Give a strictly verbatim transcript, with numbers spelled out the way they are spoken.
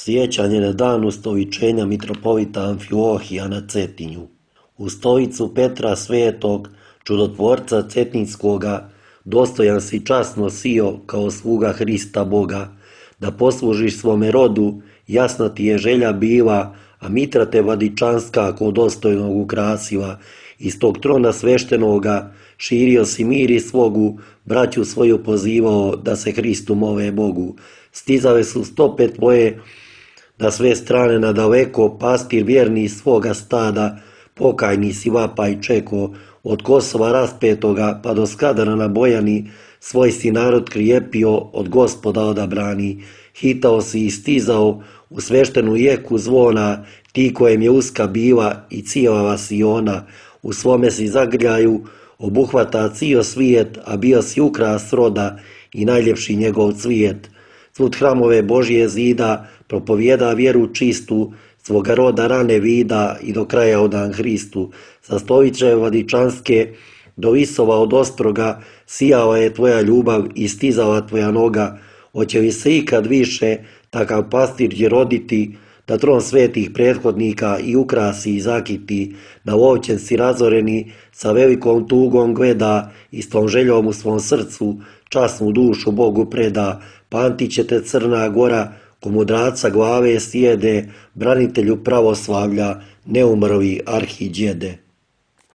Sjećanje na dan ustoičenja mitropolita Amfilohija na Cetinju. U stolicu Petra Svetog, čudotvorca Cetinjskoga, dostojan si časno sio kao sluga Hrista Boga, da poslužiš svome rodu, jasna ti je želja bila, a mitra te Vladičanska ko dostojnog ukrasila. Iz tog trona sveštenoga širio si mir i slogu, braću svoju pozivao da se Hristu mole Bogu. Stizale su stope tvoje na sve strane nadaleko, pastir vjerni svoga stada, pokajni si vapaj čeko, od Kosova raspetoga pa do Skadara na Bojani, svoj si narod krijepio, od Gospoda odabrani. Hitao si i stizao u sveštenu jeku zvona, ti kojem je uska bila i cijela si ona. U svome si zagrljaju obuhvata cio svijet, a bio si ukras roda i najljepši njegov cvijet. Svud hramove Božje zida, propovjeda vjeru čistu, svoga roda rane vida i do kraja odan Hristu. Sa stolice Vladičanske do visova od ostroga sijala je tvoja ljubav i stizala tvoja noga. Hoće li se ikad više takav pastir će roditi, da tron svetih prethodnika i ukrasi i zakiti, na lovčen si razoreni, sa velikom tugom gleda i s tom željom u svom srcu časnu dušu Bogu preda. Pamtit će te Crna Gora, ko mudraca glave sjede, branitelju pravoslavlja, neumrli arhidjede.